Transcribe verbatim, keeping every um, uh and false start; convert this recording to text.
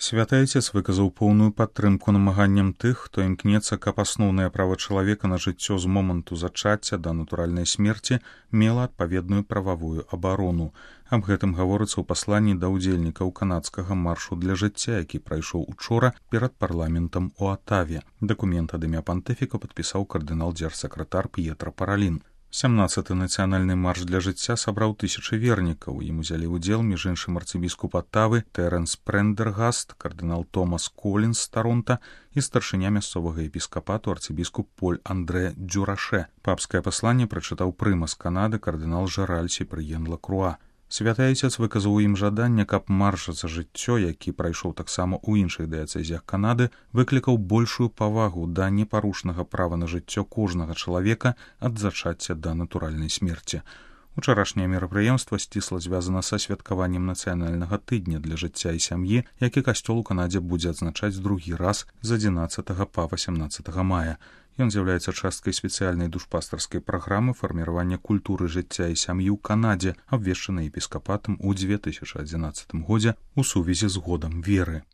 Святы Айцец выказаў поўную падтрымку намаганням тых, хто імкнецца, каб асноўнае права чалавека на жыццё з моманту зачацця да натуральнай смерці мела адпаведную прававую абарону. Аб гэтым гаворыцца ў пасланні да ўдзельнікаў канадскага маршу для жыцця, які прайшоў учора перад парламентам у Атаве. Дакумент ад імя пантыфіка падпісаў кардынал-дзярсакратар П'етра Паралін. сямнаццаты нацыянальны марш для жыцця сабраў тысячы вернікаў. Ім узялі ўдзел між іншым арцыбіскуп Атавы Тэрэнс Прендергаст, кардынал Томас Колінс з Таронта і старшыня мясцовага епіскапату арцыбіскуп Поль Андре Дзюраше. Папскае пасланне прачытаў прымас Канады кардынал Жераль Сіпрыен Лакруа. Святы Айцец выказаў ім жаданне, каб марш за жыццё, які прайшоў таксама ў іншых дыяцэзіях Канады, выклікаў большую павагу да непарушнага права на жыццё кожнага чалавека ад зачацця да натуральнай смерці. Учарашняе мерапрыемства сцісла звязана са святкаваннем нацыянальнага тыдня для жыцця і сям'і, які касцёл у Канадзе будзе адзначаць другі раз з адзінаццатага па васямнаццатага мая. Ён з'яўляецца часткай спецыяльнай душпастарскай праграмы фарміравання культуры жыцця і сям'і ў Канадзе, абвешчанай епіскапатам у дзве тысячы адзінаццатым годзе ў сувязі з годам веры.